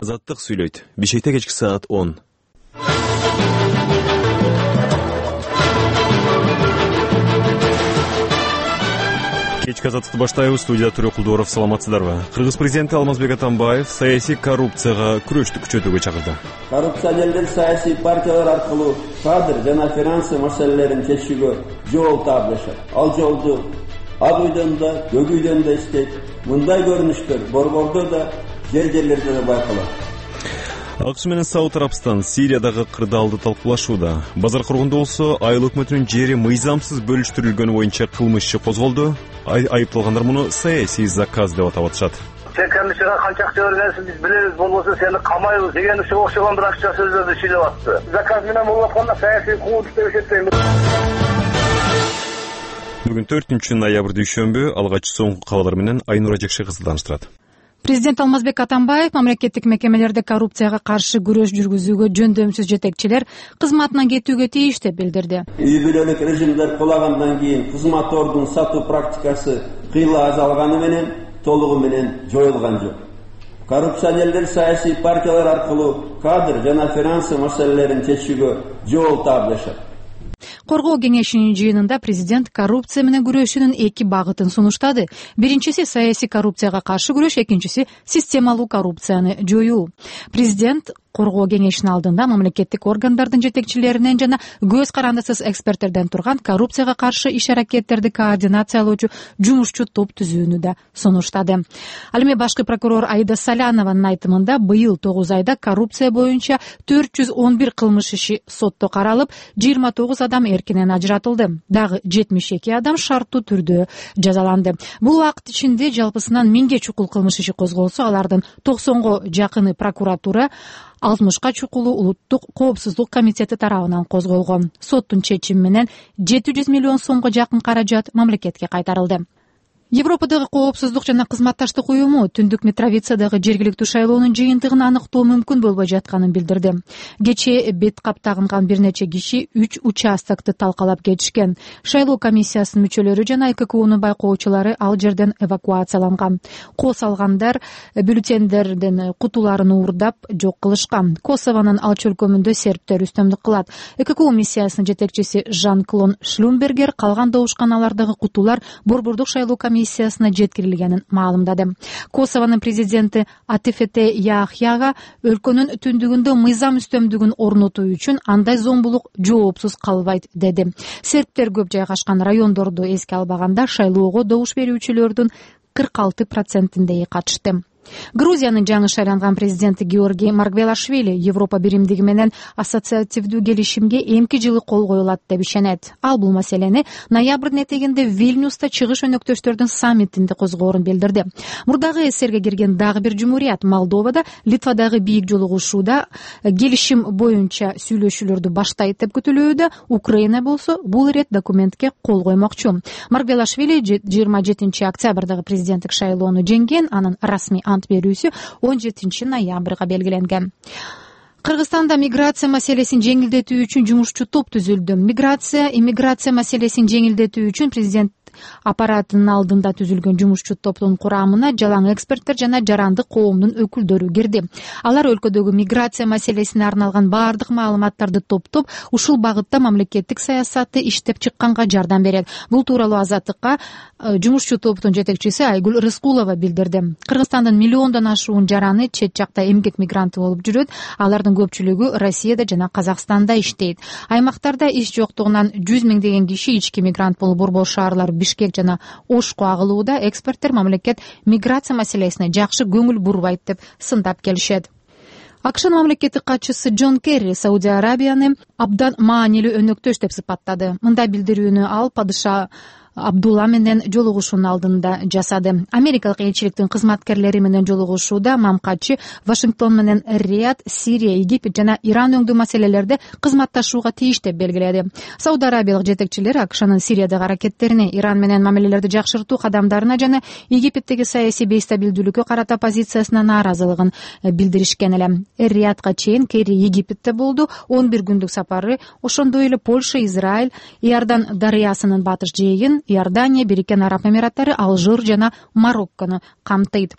Азаттык сүйлөйт. Бишкекте кечки саат 10. Кечки азаттыкты баштайбыз. Студияда Тургул Кулдуоров. Саламатсыздарбы? Кыргыз президенти Алмазбек Атамбаев саясий коррупцияга күрөштү күчөтүүгө чакырды. Коррупционерлер саясий партиялар аркылуу кадр жана финансы маселелерин чечүүгө жол тапташат. Ал жолду ак үйдөн да, көк үйдөн да иштейт. Мындай көрүнүштөр борбордо да, жерлерде да байкалат. АКШ менен Сауд Арабстан Сириядагы кырдаалды талкуулашууда. Базар кургунда болсо айыл өкмөтүнүн жери мыйзамсыз бөлүштүрүлгөнү боюнча кылмыш иши козголду. Айыпталгандар муну саясий заказ деп атап атышат. Сен комиссияга канча акча бергенсиң биз билебиз, болбосо сени камайбыз деген окшогон бир акча сөздөрдү сүйлөп атты. Заказ менен болуп атканда саясий куугунтук деп эсептейм. Бүгүн 4 ноябрь дүйшөмбү. Алгач соңку кабарлар менен Айнура Жекше кызы тааныштырат. Президент Алмазбек Атамбаев мамлекеттик мекемелерде коррупцияга каршы күрөш жүргүзүүгө жөндөмсүз жетекчилер кызматынан кетүүгө тийиш деп билдирди. Үй бүлөлүк режимдер кулагандан кийин кызмат ордун сатуу практикасы кыйла азалганы менен толугу менен жоюлган жок. Коррупционерлер саясий партиялар аркылуу кадр жана финансы маселелерин чечүүгө жол тапташат. Коргоо кеңешинин жыйынында президент коррупция менен күрөшүүнүн 2 багытын сунуштады. Биринчиси саясий коррупцияга каршы күрөш, экинчиси системалуу коррупцияны жоюу. Президент Коргоо кеңешинин алдында мамлекеттик органдардын жетекчилеринен жана көз карандысыз эксперттерден турган коррупцияга каршы иш-аракеттерди координациялоочу жумушчу топ түзүүнү да сунуштады. Ал эми башкы прокурор Аида Салянованын айтымында быйыл 9 айда коррупция боюнча 411 кылмыш иши сотто каралып, 29 адам эркинен ажыратылды. Дагы 72 адам шарттуу түрдө жазаланды. Бул убакыт ичинде жалпысынан 1000ге чукул кылмыш иши козголсо, алардын 90го жакыны прокуратура, 60ка чукулу улуттук коопсуздук комитети тарабынан козголгон. Соттун чечими менен 700 миллион сомго жакын каражат мамлекетке кайтарылды. Европадагы коопсуздук жана кызматташтык уюму Түндүк Митровицадагы жергиликтүү шайлоонун жыйынтыгын аныктоо мүмкүн болбой жатканын билдирди. Кечээ бет кап тагынган бир нече киши 3 участокты талкалап кетишкен. Шайлоо комиссиясынын мүчөлөрү жана ККУнун байкоочулары ал жерден эвакуацияланган. Кос алгандар бюллетендердин кутуларын уурдап жок кылышкан. Косовонун алч өлкөмүндө сербтер үстөмдүк кылат. ККУ миссиясынын жетекчиси Жан-Клод Шлюмбергер калган добушканалардагы кутулар борбордук шайлоо комиссиясына жеткирилгенин маалымдады. Косовонун президенти Атефете Яхьяга өлкөнүн түндүгүндө мыйзам үстөмдүгүн орнотуу үчүн андай зомбулук жоопсуз калбайт деди. Сербтер көп жайгашкан райондорду эске албаганда шайлоого добуш берүүчүлөрдүн 46%-ндей катышты. Грузиянын жаңы шайланган президенти Георгий Маргвелашвили Европа биримдиги менен ассоциативдүү келишимге эмки жылы кол коюлат деп ишенет. Ал бул маселени ноябрдын этегинде Вильнюста чыгыш өнөктөштөрдүн саммитинде козгоорун билдирди. Мурдагы СССРге кирген дагы бир жумурият Молдовада Литвадагы бийик жолугушууда келишим боюнча сүйлөшүүлөрдү баштайт деп күтүлүүдө. Украина болсо бул ирет документке кол коймокчу. Маргвелашвили 27 октябрдагы президенттик шайлоону жеңген, анын расмий ант берүүсү 17 ноябрга белгиленген. Кыргызстанда миграция маселесин жеңилдетүү үчүн жумушчу топ түзүлдү. Иммиграция маселесин жеңилдетүү үчүн президент аппаратынын алдында түзүлгөн жумушчу топтун курамына жалаң эксперттер жана жарандык коомдун өкүлдөрү кирди. Алар өлкөдөгү миграция маселесине арналган баардык маалыматтарды топтоп, ушул багытта мамлекеттик саясатты иштеп чыкканга жардам берет. Бул тууралуу Азаттыкка жумушчу топтун жетекчиси Айгүл Рыскулова билдирди. Кыргызстандын миллиондон ашуун жараны чет жакта эмгек мигранты болуп жүрөт. Алардын көпчүлүгү Россияда жана Казакстанда иштейт. Аймактарда иш жоктугунан 100 миңдеген киши ички мигрант болуп борбор шаарлар Бишкек жана Ошко агылууда. Эксперттер мамлекет миграция маселесине жакшы көңүл бурбайт деп сындап келишет. АКШнын мамлекеттик катчысы Джон Керри Саудия Арабияны абдан маанилүү өнөктөш деп сыпаттады. Мындай билдирүүнү ал падыша Абдулла менен жолугушуунун алдында жасады. Америкалык элчиликтин кызматкерлери менен жолугушууда мамкачы Вашингтон менен Рият, Сирия, Египет жана Иран өңдүү маселелерде кызматташууга тийиш деп белгиледи. Сауд Арабиялык жетекчилер АКШнын Сириядагы аракеттерине, Иран менен мамилелерди жакшыртуу кадамдарына жана Египеттеги саясий бейстабилдүүлүккө карата позициясына нааразылыгын билдиришкен эле. Риятка чейин Керри Египетте болду. 11 күндүк сапары ошондой эле Польша, Израиль, Иордан дарыясынын батыш жээгин, Иордания, Бириккен Араб Эмираттары, Алжир жана Мароккону камтыйт.